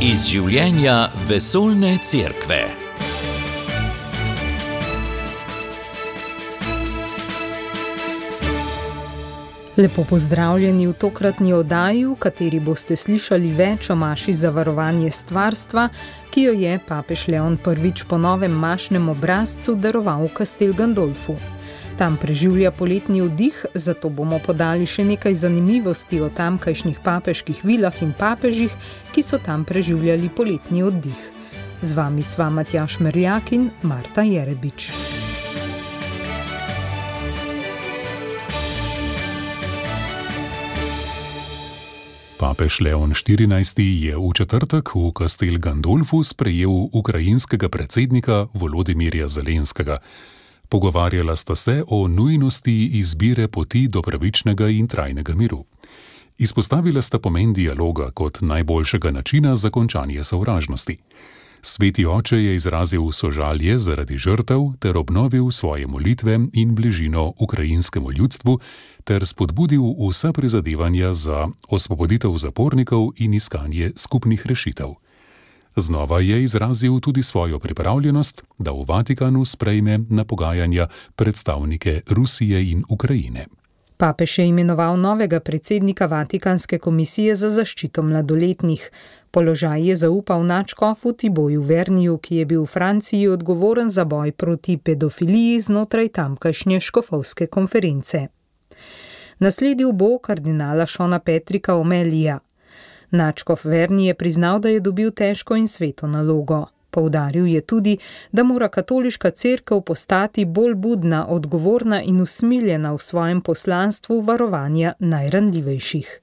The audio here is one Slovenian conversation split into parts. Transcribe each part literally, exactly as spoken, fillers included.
Iz življenja vesoljne cerkve. Lepo pozdravljeni v tokratni oddaji, v kateri boste slišali več o maši za varovanje stvarstva, ki jo je papež Leon prvič po novem mašnem obrazcu daroval v Castel Gandolfu. Tam preživlja poletni oddih, zato bomo podali še nekaj zanimivosti o tamkajšnjih papeških vilah in papežih, ki so tam preživljali poletni oddih. Z vami sva Matjaž Merljak in Marta Jerebič. Papež Leon štirinajsti je v četrtek v Castel Gandolfu sprejel ukrajinskega predsednika Volodimirja Zelenskega. Pogovarjala sta se o nujnosti izbire poti do pravičnega in trajnega miru. Izpostavila sta pomen dialoga kot najboljšega načina za končanje sovražnosti. Sveti oče je izrazil sožalje zaradi žrtev ter obnovil svoje molitve in bližino ukrajinskemu ljudstvu ter spodbudil vsa prizadevanja za osvoboditev zapornikov in iskanje skupnih rešitev. Znova je izrazil tudi svojo pripravljenost, da v Vatikanu sprejme na pogajanja predstavnike Rusije in Ukrajine. Papež je imenoval novega predsednika Vatikanske komisije za zaščito mladoletnih. Položaj je zaupal nadškofu Thibaultu Verniju, ki je bil v Franciji odgovoren za boj proti pedofiliji znotraj tamkajšnje škofovske konference. Nasledil bo kardinala Šona Petrika Omelija. Nadškof Verni je priznal, da je dobil težko in sveto nalogo. Poudaril je tudi, da mora katoliška cerkev postati bolj budna, odgovorna in usmiljena v svojem poslanstvu varovanja najranljivejših.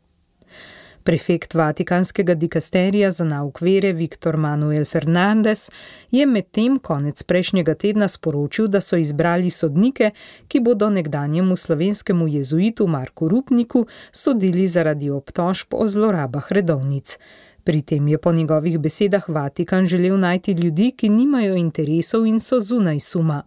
Prefekt Vatikanskega dikasterija za nauk vere Viktor Manuel Fernandez je medtem konec prejšnjega tedna sporočil, da so izbrali sodnike, ki bodo nekdanjemu slovenskemu jezuitu Marku Rupniku sodili zaradi obtožb o zlorabah redovnic. Pri tem je po njegovih besedah Vatikan želel najti ljudi, ki nimajo interesov in so zunaj suma.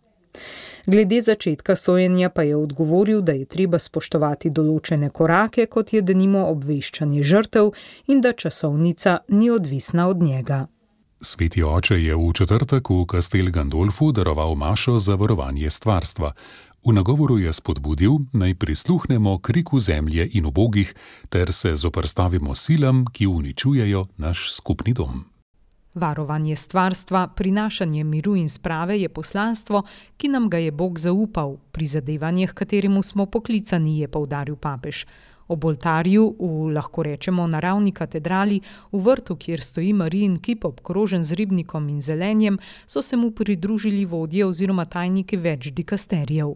Glede začetka sojenja pa je odgovoril, da je treba spoštovati določene korake, kot je denimo obveščanje žrtev in da časovnica ni odvisna od njega. Sveti oče je v četrtek v Castel Gandolfu daroval mašo za varovanje stvarstva. V nagovoru je spodbudil, naj prisluhnemo kriku zemlje in ubogih ter se zoperstavimo silam, ki uničujejo naš skupni dom. Varovanje stvarstva, prinašanje miru in sprave je poslanstvo, ki nam ga je Bog zaupal, prizadevanje, h kateremu smo poklicani, je poudaril papež. Ob oltarju v, lahko rečemo, naravni katedrali, v vrtu, kjer stoji Marijin kip obkrožen z ribnikom in zelenjem, so se mu pridružili vodje oziroma tajniki več dikasterijev.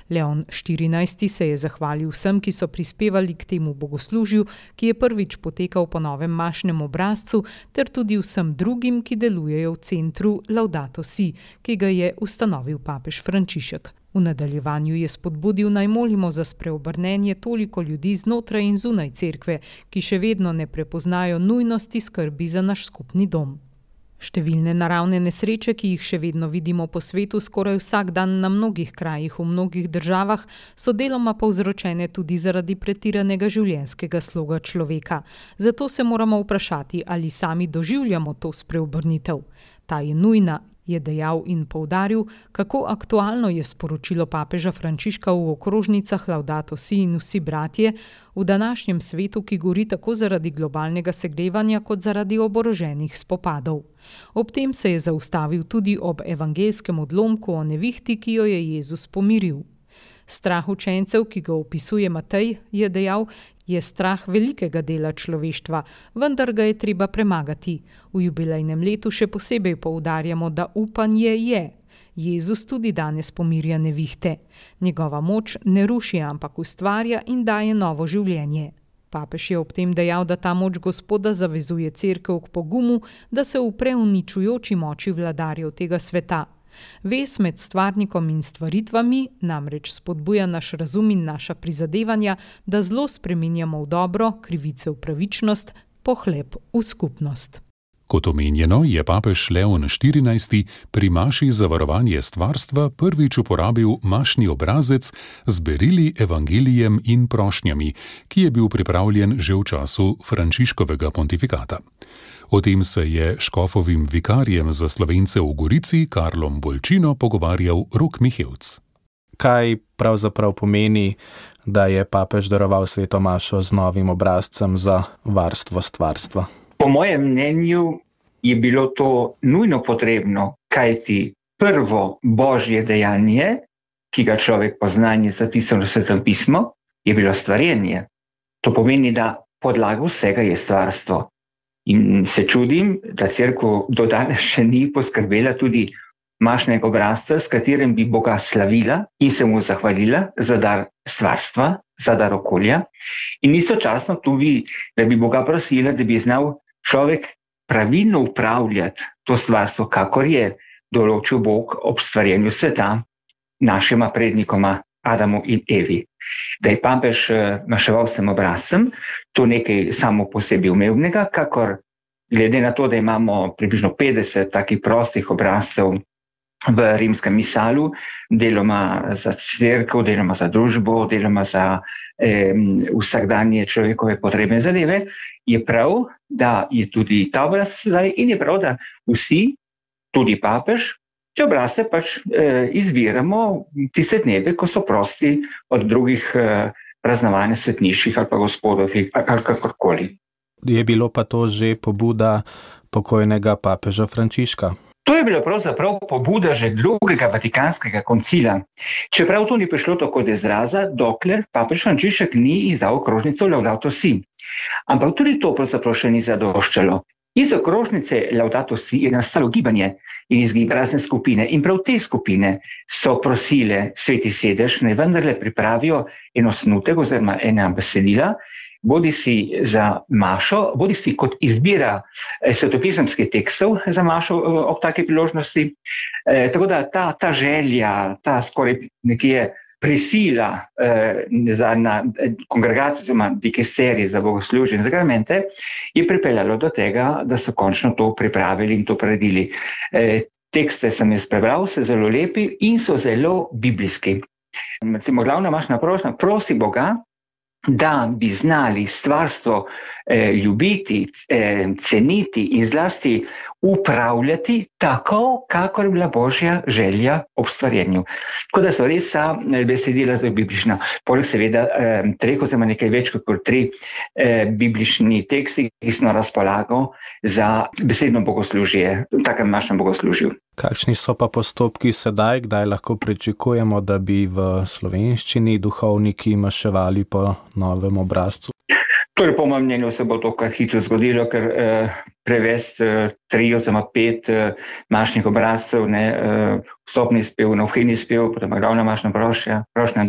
Leon štirinajsti se je zahvalil vsem, ki so prispevali k temu bogoslužju, ki je prvič potekal po novem mašnem obrazcu, ter tudi vsem drugim, ki delujejo v centru Laudato Si, ki ga je ustanovil papež Frančišek. V nadaljevanju je spodbudil, naj molimo za spreobrnenje toliko ljudi znotraj in zunaj cerkve, ki še vedno ne prepoznajo nujnosti skrbi za naš skupni dom. Številne naravne nesreče, ki jih še vedno vidimo po svetu skoraj vsak dan na mnogih krajih v mnogih državah, so deloma povzročene tudi zaradi pretiranega življenjskega sloga človeka. Zato se moramo vprašati, ali sami doživljamo to spreobrnitev. Ta je nujna, je dejal in poudaril, kako aktualno je sporočilo papeža Frančiška v okrožnicah Laudato Si in vsi bratje v današnjem svetu, ki gori tako zaradi globalnega segrevanja kot zaradi oboroženih spopadov. Ob tem se je zaustavil tudi ob evangeljskem odlomku o nevihti, ki jo je Jezus pomiril. Strah učencev, ki ga opisuje Matej, je dejal, je strah velikega dela človeštva, vendar ga je treba premagati. V jubilejnem letu še posebej poudarjamo, da upanje je. Jezus tudi danes pomirja nevihte. Njegova moč ne ruši, ampak ustvarja in daje novo življenje. Papež je ob tem dejal, da ta moč Gospoda zavezuje cerkev k pogumu, da se upre uničujoči moči vladarjev tega sveta. Vez med stvarnikom in stvaritvami namreč spodbuja naš razum in naša prizadevanja, da zlo spreminjamo v dobro, krivice v pravičnost, pohlep v skupnost. Kot omenjeno, je papež Leon štirinajsti pri maši za varovanje stvarstva prvič uporabil mašni obrazec z berili, evangelijem in prošnjami, ki je bil pripravljen že v času Frančiškovega pontifikata. O tem se je škofovim vikarjem za Slovence v Gorici, Karlom Bolčino, pogovarjal Rok Mihevc. Kaj pravzaprav pomeni, da je papež daroval sveto mašo z novim obrazcem za varstvo stvarstva? Po mojem mnenju je bilo to nujno potrebno, kajti prvo božje dejanje, ki ga človek pozna in je zapisano v Svetem pismu, je bilo stvarjenje. To pomeni, da podlaga vsega je stvarstvo. In se čudim, da cerkev do danes še ni poskrbela tudi mašnega obrazca, s katerim bi Boga slavila in se mu zahvalila za dar stvarstva, za dar okolja. In istočasno tudi, da bi Boga prosila, da bi znal človek pravilno upravljati to stvarstvo, kakor je določil Bog ob stvarjenju sveta našima prednikoma Adamu in Evi. Da je papež maševal s tem obrazcem, to nekaj samo po sebi umevnega, kakor glede na to, da imamo približno petdeset takih prostih obrazcev v rimskem misalu, deloma za cerkev, deloma za družbo, deloma za eh, vsakdanje človekove potrebne zadeve, je prav, da je tudi ta obraz zdaj in je prav, da vsi, tudi papež, te obrazce pač eh, izbiramo tiste dneve, ko so prosti od drugih eh, praznovanj svetniških ali pa gospodovih ali kakorkoli. Je bilo pa to že pobuda pokojnega papeža Frančiška? To je bila pravzaprav pobuda že drugega vatikanskega koncila. Čeprav to ni prišlo tako do izraza, dokler papež Frančišek ni izdal okrožnico Laudato Si. Ampak tudi to pravzaprav še ni zadoščalo. Iz okrožnice Laudato Si je nastalo gibanje in iz razne skupine. In prav te skupine so prosile Sveti sedež, naj vendarle pripravijo en osnutek oziroma ena besedila, bodi si za mašo, bodi si kot izbira svetopisemskih tekstov za mašo ob take priložnosti. E, tako da ta, ta želja, ta skoraj nekje prisila eh, za na kongregacijo oziroma dikesterij za bogoslužje in zakramente je pripeljalo do tega, da so končno to pripravili in to predili. E, tekste sem jaz prebral, so zelo lepi in so zelo biblijski. Recimo, glavna mašna prošnja, prosi Boga, da bi znali stvarstvo eh, ljubiti, eh, ceniti in zlasti upravljati tako, kakor je bila Božja želja ob stvarjenju. Tako da so res ta besedila zelo biblična. Poleg seveda eh, treh oziroma nekaj več kot tri eh, biblični teksti, ki smo na razpolago za besedno bogoslužje, v takem našem bogoslužju. Kakšni so pa postopki sedaj, kdaj lahko pričakujemo, da bi v slovenščini duhovniki maševali po novem obrazcu? Torej, po mojem mnenju se bo to kar hitro zgodilo, ker eh, prevesti eh, tri oziroma pet eh, mašnih obrazcev, ne, eh, vstopni spev, novhajni spev, potem glavna mašna prošnja, prošnja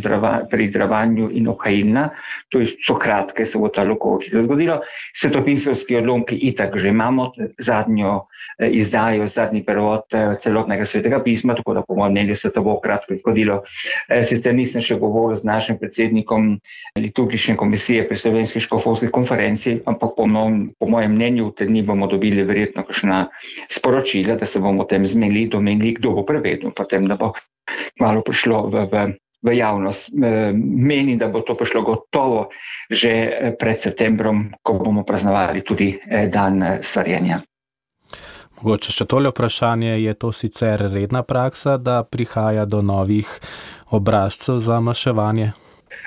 pri darovanju in obhajilna, to so kratke, se bo to lahko hitro zgodilo. Svetopisemski odlomki itak že imamo zadnjo eh, izdajo, zadnji prevod eh, celotnega svetega pisma, tako da po mojem mnenju se to bo kratko zgodilo. Eh, sicer nisem še govoril z našim predsednikom liturgične komisije pri Slovenski škofovski konferenci, ampak po, mnom, po mojem mnenju v te dni bomo dobili verjetno kakšna sporočila, da se bomo o tem zmenili, domenili, kdo bo prevedel, potem da bo malo prišlo v, v, v javnost. Menim, da bo to prišlo gotovo že pred septembrom, ko bomo praznovali tudi dan stvarjenja. Mogoče še tole vprašanje, je to sicer redna praksa, da prihaja do novih obrazcev za maševanje?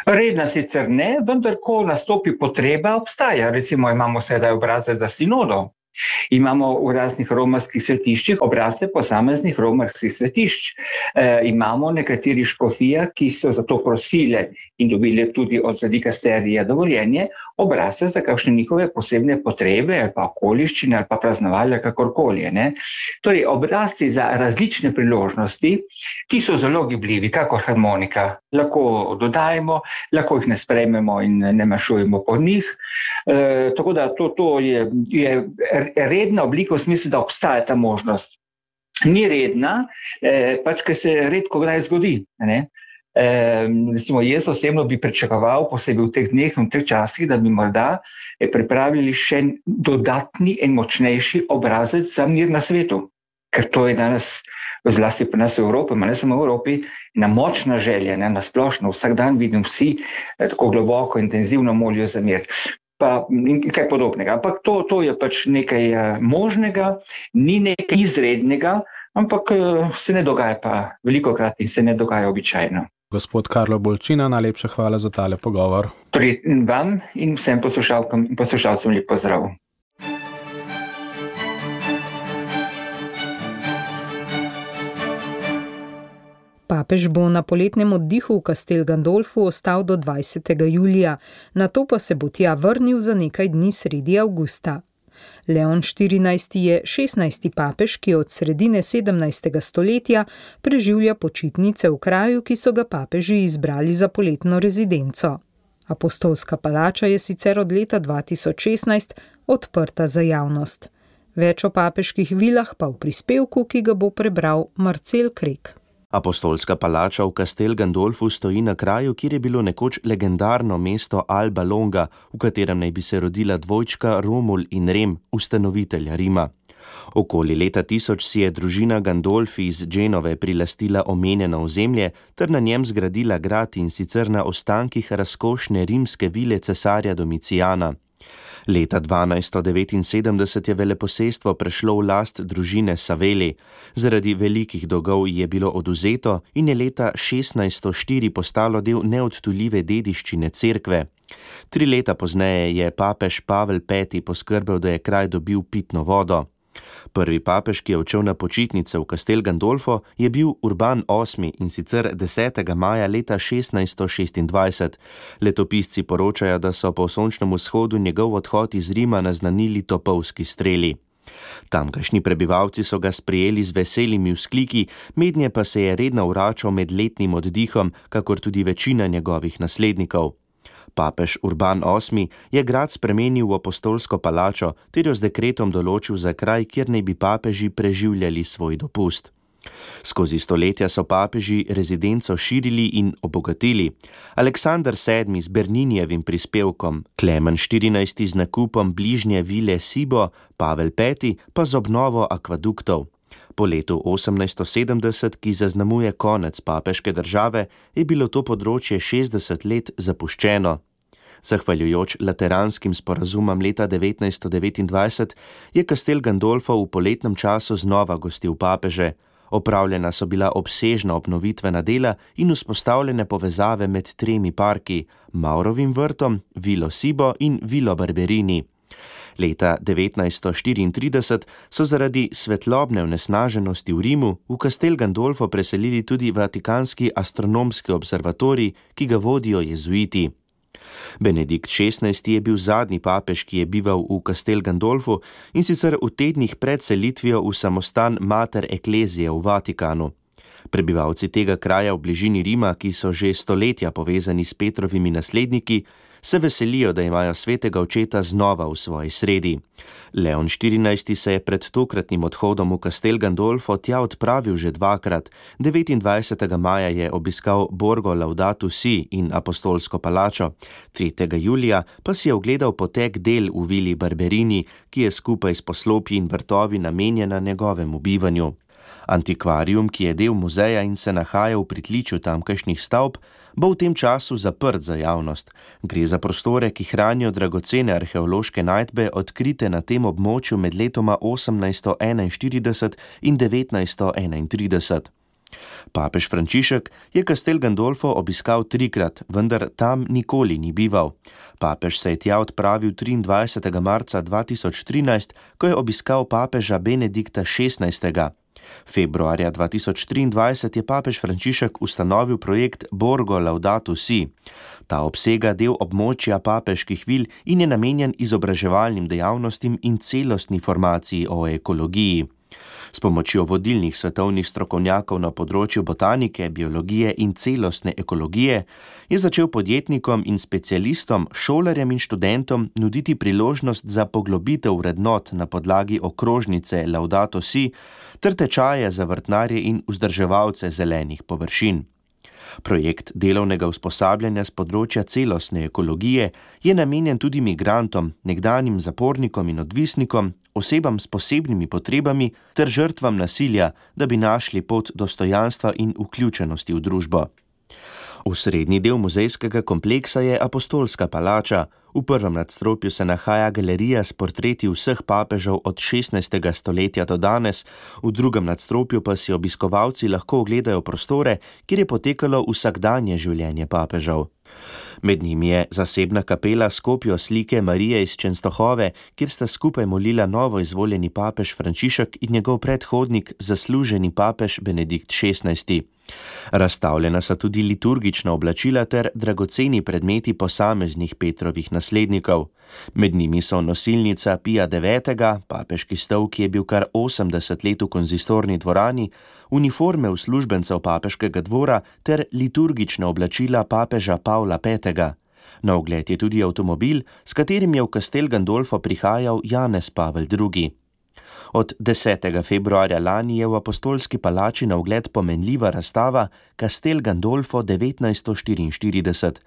Redna sicer ne, vendar ko nastopi potreba, obstaja. Recimo imamo sedaj obrazec za sinodo. Imamo v raznih romarskih svetiščih obrazce posameznih romarskih svetišč. E, imamo nekateri škofija, ki so za to prosile in dobili tudi od dikasterija dovoljenje, obrazce za kakšne njihove posebne potrebe ali pa okoliščine ali pa praznovanja kakorkoli. Ne? Torej, obrazci za različne priložnosti, ki so zelo gibljivi, kakor harmonika, lahko dodajemo, lahko jih ne sprejmemo in ne mašujemo po njih. E, tako da to, to je, je redna oblika v smislu, da obstaja ta možnost. Ni redna, eh, pač, ker se redko kdaj zgodi. Ne? Recimo, jaz osebno bi pričakoval, posebej v teh dneh, v teh časih, da bi morda pripravili še dodatni in močnejši obrazec za mir na svetu. Ker to je danes, zlasti pri nas v Evropi, ma ne samo v Evropi, ena močna želja, ne, na splošno, vsak dan vidim vsi tako globoko, intenzivno molijo za mir. Pa kaj podobnega. Ampak to, to je pač nekaj možnega, ni nekaj izrednega, ampak se ne dogaja pa velikokrat in se ne dogaja običajno. Gospod Karlo Bolčina, najlepša hvala za tale pogovor. Torej vam in vsem poslušalkam in poslušalcem lep pozdrav. Papež bo na poletnem oddihu v Castel Gandolfu ostal do dvajsetega julija, nato pa se bo tja vrnil za nekaj dni sredi avgusta. Leon štirinajsti je šestnajsti papež, ki od sredine sedemnajstega stoletja preživlja počitnice v kraju, ki so ga papeži izbrali za poletno rezidenco. Apostolska palača je sicer od leta dva tisoč šestnajst odprta za javnost. Več o papeških vilah pa v prispevku, ki ga bo prebral Marcel Krek. Apostolska palača v Castel Gandolfu stoji na kraju, kjer je bilo nekoč legendarno mesto Alba Longa, v katerem naj bi se rodila dvojčka Romul in Rem, ustanovitelja Rima. Okoli leta tisoč si je družina Gandolfi iz Genove prilastila omenjeno ozemlje ter na njem zgradila grad, in sicer na ostankih razkošne rimske vile cesarja Domicijana. Leta dvanajststo devetinsedemdeset je veleposestvo prešlo v last družine Savelli. Zaradi velikih dolgov je bilo oduzeto in je leta šestnajststo štiri postalo del neodtujljive dediščine cerkve. Tri leta pozneje je papež Pavel peti poskrbel, da je kraj dobil pitno vodo. Prvi papež, ki je odšel na počitnice v Castel Gandolfo, je bil Urban osmi, in sicer desetega maja leta šestnajststo šestindvajset. Letopisci poročajo, da so po sončnem vzhodu njegov odhod iz Rima naznanili topovski streli. Tamkajšnji prebivalci so ga sprejeli z veselimi vzkliki, mednje pa se je redno vračal med letnim oddihom, kakor tudi večina njegovih naslednikov. Papež Urban osmi je grad spremenil v apostolsko palačo ter jo z dekretom določil za kraj, kjer naj bi papeži preživljali svoj dopust. Skozi stoletja so papeži rezidenco širili in obogatili. Aleksander sedmi z Berninijevim prispevkom, Klemen štirinajsti z nakupom bližnje vile Sibo, Pavel peti pa z obnovo akvaduktov. Po letu osemnajststo sedemdeset, ki zaznamuje konec papeške države, je bilo to področje šestdeset let zapuščeno. Zahvaljujoč lateranskim sporazumom leta devetnajststo devetindvajset je Castel Gandolfo v poletnem času znova gostil papeže. Opravljena so bila obsežna obnovitvena dela in vzpostavljene povezave med tremi parki, Maurovim vrtom, Vilo Sibo in Vilo Barberini. Leta devetnajststo štiriintrideset so zaradi svetlobne onesnaženosti v Rimu v Castel Gandolfo preselili tudi Vatikanski astronomski observatorij, ki ga vodijo jezuiti. Benedikt šestnajsti je bil zadnji papež, ki je bival v Castel Gandolfu, in sicer v tednih pred selitvijo v samostan Mater Ecclesiae v Vatikanu. Prebivalci tega kraja v bližini Rima, ki so že stoletja povezani s Petrovimi nasledniki, se veselijo, da imajo svetega očeta znova v svoji sredi. Leon štirinajsti se je pred tokratnim odhodom v Castel Gandolfo tja odpravil že dvakrat. devetindvajsetega maja je obiskal Borgo Laudato Si in apostolsko palačo, tretjega julija pa si je ogledal potek del v vili Barberini, ki je skupaj s poslopji in vrtovi namenjena njegovemu bivanju. Antikvarium, ki je del muzeja in se nahaja v pritličju tamkajšnjih stavb, bo v tem času zaprt za javnost. Gre za prostore, ki hranijo dragocene arheološke najdbe, odkrite na tem območju med letoma osemnajststo enainštirideset in devetnajststo enaintrideset. Papež Frančišek je Castel Gandolfo obiskal trikrat, vendar tam nikoli ni bival. Papež se je tja odpravil triindvajsetega marca dva tisoč trinajst, ko je obiskal papeža Benedikta šestnajstega. Februarja dva tisoč triindvajset je papež Frančišek ustanovil projekt Borgo Laudato Si. Ta obsega del območja papeških vil in je namenjen izobraževalnim dejavnostim in celostni formaciji o ekologiji. S pomočjo vodilnih svetovnih strokovnjakov na področju botanike, biologije in celostne ekologije je začel podjetnikom in specialistom, šolarjem in študentom nuditi priložnost za poglobitev vrednot na podlagi okrožnice Laudato Si ter tečaje za vrtnarje in vzdrževalce zelenih površin. Projekt delovnega usposabljanja z področja celostne ekologije je namenjen tudi migrantom, nekdanjim zapornikom in odvisnikom, osebam s posebnimi potrebami ter žrtvam nasilja, da bi našli pot dostojanstva in vključenosti v družbo. Osrednji del muzejskega kompleksa je Apostolska palača. V prvem nadstropju se nahaja galerija s portreti vseh papežev od šestnajstega stoletja do danes, v drugem nadstropju pa si obiskovalci lahko ogledajo prostore, kjer je potekalo vsakdanje življenje papežev. Med njimi je zasebna kapela s kopijo slike Marije iz Čenstohove, kjer sta skupaj molila novo izvoljeni papež Frančišek in njegov predhodnik, zasluženi papež Benedikt šestnajsti. Razstavljena so tudi liturgična oblačila ter dragoceni predmeti posameznih Petrovih naslednikov. Med njimi so nosilnica Pija devetega, papeški stol, ki je bil kar osemdeset let v konzistorni dvorani, uniforme uslužbencev papeškega dvora ter liturgična oblačila papeža Pavla petega. Na ogled je tudi avtomobil, s katerim je v Castel Gandolfo prihajal Janez Pavel drugi. Od desetega februarja lani je v Apostolski palači na ogled pomenljiva razstava Castel Gandolfo devetnajststo štiriinštirideset.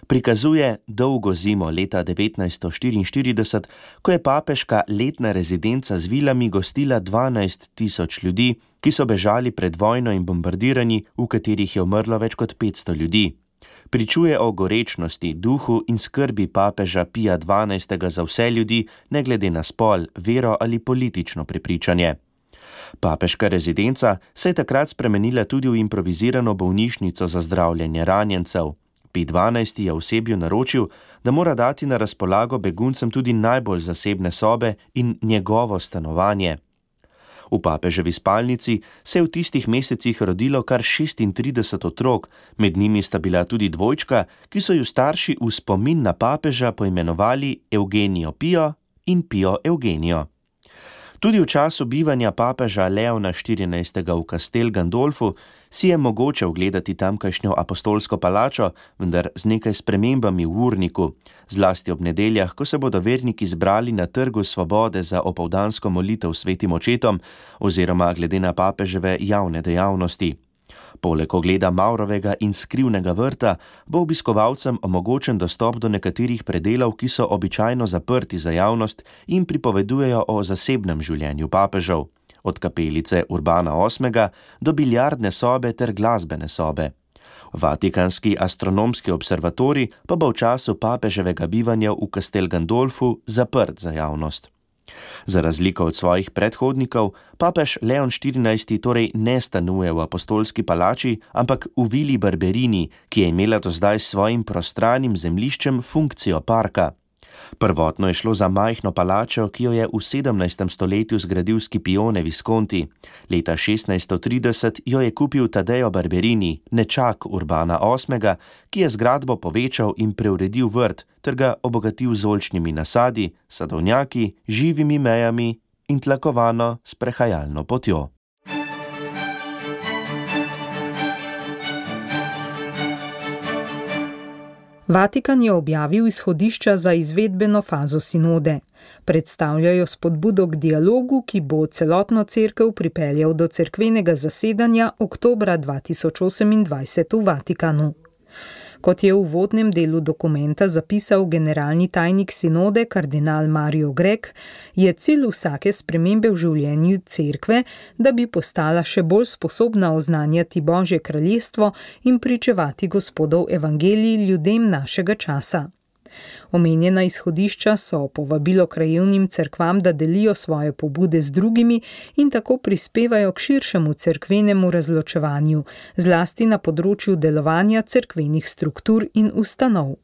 Prikazuje dolgo zimo leta devetnajststo štiriinštirideset, ko je papeška letna rezidenca z vilami gostila dvanajst tisoč ljudi, ki so bežali pred vojno in bombardiranji, v katerih je umrlo več kot petsto ljudi. Pričuje o gorečnosti, duhu in skrbi papeža Pija dvanajstega za vse ljudi, ne glede na spol, vero ali politično prepričanje. Papeška rezidenca se je takrat spremenila tudi v improvizirano bolnišnico za zdravljenje ranjencev. Pij dvanajsti je osebju naročil, da mora dati na razpolago beguncem tudi najbolj zasebne sobe in njegovo stanovanje. V papeževi spalnici se je v tistih mesecih rodilo kar šestintrideset otrok, med njimi sta bila tudi dvojčka, ki so ju starši v spomin na papeža poimenovali Eugenijo Pio in Pio Eugenijo. Tudi v času bivanja papeža Leona štirinajstega v Castel Gandolfu si je mogoče ogledati tamkajšnjo Apostolsko palačo, vendar z nekaj spremembami v urniku, zlasti ob nedeljah, ko se bodo verniki zbrali na Trgu svobode za opoldansko molitev svetim očetom oziroma glede na papeževe javne dejavnosti. Poleg ogleda Maurovega in skrivnega vrta bo obiskovalcem omogočen dostop do nekaterih predelov, ki so običajno zaprti za javnost in pripovedujejo o zasebnem življenju papežev, od kapelice Urbana osmega do biljardne sobe ter glasbene sobe. Vatikanski astronomski observatorij pa bo v času papeževega bivanja v Castel Gandolfu zaprt za javnost. Za razliko od svojih predhodnikov, papež Leon štirinajsti torej ne stanuje v Apostolski palači, ampak v vili Barberini, ki je imela do zdaj s svojim prostranim zemljiščem funkcijo parka. Prvotno je šlo za majhno palačo, ki jo je v sedemnajstem stoletju zgradil Scipione Visconti. Leta šestnajststo trideset jo je kupil Taddeo Barberini, nečak Urbana osmega, ki je zgradbo povečal in preuredil vrt ter ga obogatil z oljčnimi nasadi, sadovnjaki, živimi mejami in tlakovano sprehajalno potjo. Vatikan je objavil izhodišča za izvedbeno fazo sinode. Predstavljajo spodbudo k dialogu, ki bo celotno cerkev pripeljal do cerkvenega zasedanja oktobra dva tisoč osemindvajset v Vatikanu. Kot je v uvodnem delu dokumenta zapisal generalni tajnik sinode kardinal Mario Grek, je cilj vsake spremembe v življenju cerkve, da bi postala še bolj sposobna oznanjati Božje kraljestvo in pričevati Gospodov evangelij ljudem našega časa. Omenjena izhodišča so povabilo krajevnim cerkvam, da delijo svoje pobude z drugimi in tako prispevajo k širšemu cerkvenemu razločevanju, zlasti na področju delovanja cerkvenih struktur in ustanov.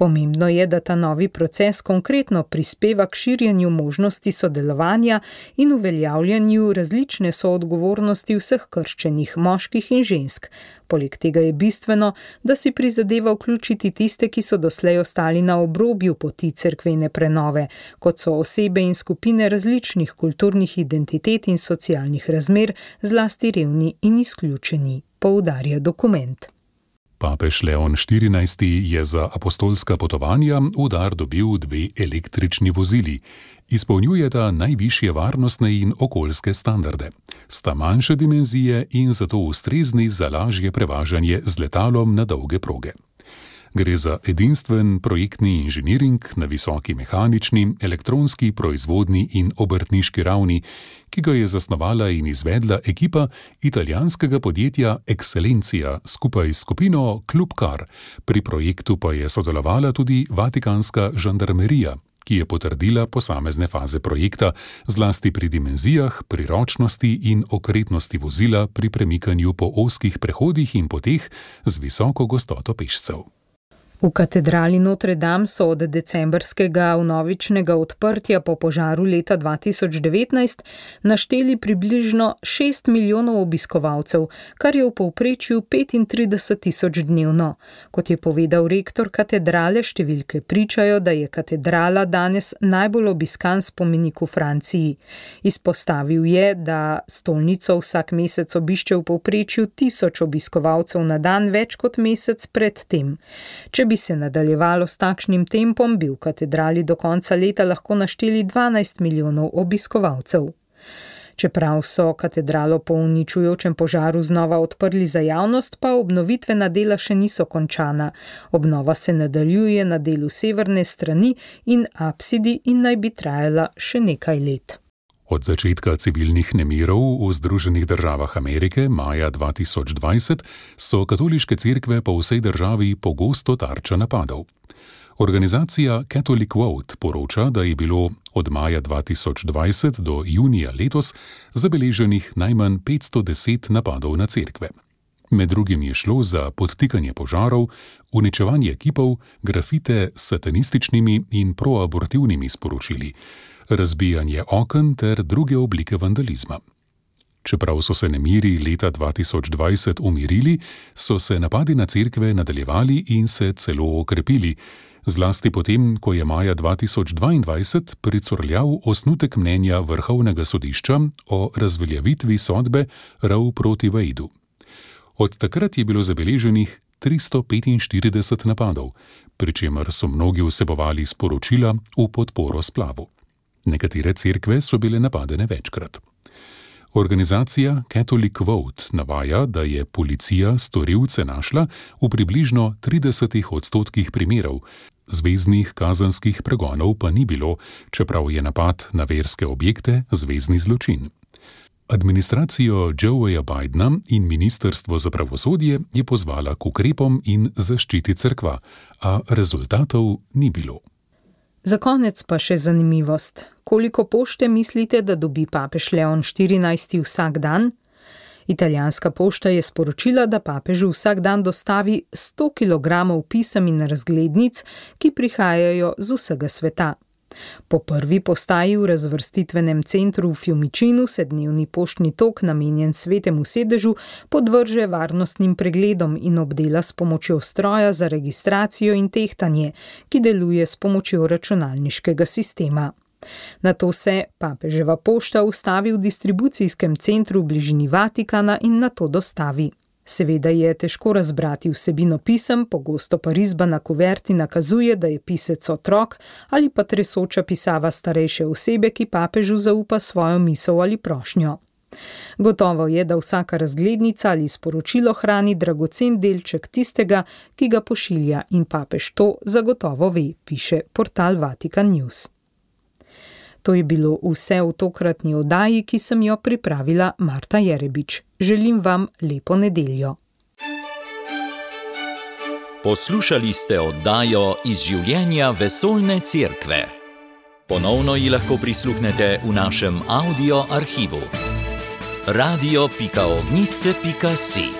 Pomembno je, da ta novi proces konkretno prispeva k širjenju možnosti sodelovanja in uveljavljanju različne soodgovornosti vseh krščenih, moških in žensk. Poleg tega je bistveno, da si prizadeva vključiti tiste, ki so doslej ostali na obrobju poti cerkvene prenove, kot so osebe in skupine različnih kulturnih identitet in socialnih razmer, zlasti revni in izključeni, poudarja dokument. Papež Leon štirinajsti je za apostolska potovanja v dar dobil dve električni vozili. Izpolnjujeta najvišje varnostne in okoljske standarde. Sta manjše dimenzije in zato ustrezni za lažje prevažanje z letalom na dolge proge. Gre za edinstven projektni inženiring na visoki mehanični, elektronski, proizvodni in obrtniški ravni, ki ga je zasnovala in izvedla ekipa italijanskega podjetja Excellencia skupaj s skupino Club Car. Pri projektu pa je sodelovala tudi vatikanska žandarmerija, ki je potrdila posamezne faze projekta, zlasti pri dimenzijah, priročnosti in okretnosti vozila pri premikanju po ozkih prehodih in poteh z visoko gostoto pešcev. V katedrali Notre Dame so od decembrskega vnovičnega odprtja po požaru leta dva tisoč devetnajst našteli približno šest milijonov obiskovalcev, kar je v povprečju petintrideset tisoč dnevno. Kot je povedal rektor katedrale, številke pričajo, da je katedrala danes najbolj obiskan spomenik v Franciji. Izpostavil je, da stolnico vsak mesec obišče v povprečju tisoč obiskovalcev na dan, več kot mesec pred tem. Če bi se nadaljevalo s takšnim tempom, bi v katedrali do konca leta lahko našteli dvanajst milijonov obiskovalcev. Čeprav so katedralo po uničujočem požaru znova odprli za javnost, pa obnovitvena dela še niso končana. Obnova se nadaljuje na delu severne strani in apsidi in naj bi trajala še nekaj let. Od začetka civilnih nemirov v Združenih državah Amerike maja dva tisoč dvajset so katoliške cerkve po vsej državi pogosto tarča napadov. Organizacija Catholic Vote poroča, da je bilo od maja dva tisoč dvajset do junija letos zabeleženih najmanj petsto deset napadov na cerkve. Med drugim je šlo za podtikanje požarov, uničevanje kipov, grafite s satanističnimi in proabortivnimi sporočili, razbijanje oken ter druge oblike vandalizma. Čeprav so se nemiri leta dva tisoč dvajset umirili, so se napadi na cerkve nadaljevali in se celo okrepili, zlasti potem, ko je maja dva tisoč dvaindvajset pricurljal osnutek mnenja Vrhovnega sodišča o razveljavitvi sodbe Roe proti Wadeu. Od takrat je bilo zabeleženih tristo petinštirideset napadov, pri čemer so mnogi vsebovali sporočila v podporo splavu. Nekatere cerkve so bile napadene večkrat. Organizacija Catholic Vote navaja, da je policija storilce našla v približno tridesetih odstotkih primerov, zveznih kazenskih pregonov pa ni bilo, čeprav je napad na verske objekte zvezni zločin. Administracijo Joeja Bidena in Ministrstvo za pravosodje je pozvala k ukrepom in zaščiti cerkva, a rezultatov ni bilo. Za konec pa še zanimivost. Koliko pošte mislite, da dobi papež Leon štirinajsti vsak dan? Italijanska pošta je sporočila, da papežu vsak dan dostavi sto kilogramov pisem in razglednic, ki prihajajo z vsega sveta. Po prvi postaji v razvrstitvenem centru v Fiumicinu se dnevni poštni tok, namenjen Svetemu sedežu, podvrže varnostnim pregledom in obdela s pomočjo stroja za registracijo in tehtanje, ki deluje s pomočjo računalniškega sistema. Nato se papeževa pošta ustavi v distribucijskem centru v bližini Vatikana in nato dostavi. Seveda je težko razbrati vsebino pisem, pogosto pa risba na kuverti nakazuje, da je pisec otrok ali pa tresoča pisava starejše osebe, ki papežu zaupa svojo misel ali prošnjo. Gotovo je, da vsaka razglednica ali sporočilo hrani dragocen delček tistega, ki ga pošilja, in papež to zagotovo ve, piše portal Vatican News. To je bilo vse v tokratni oddaji, ki sem jo pripravila Marta Jerebič. Želim vam lepo nedeljo. Poslušali ste oddajo Iz življenja vesoljne cerkve. Ponovno ji lahko prisluhnete v našem audio arhivu. radio pika ognjišče pika si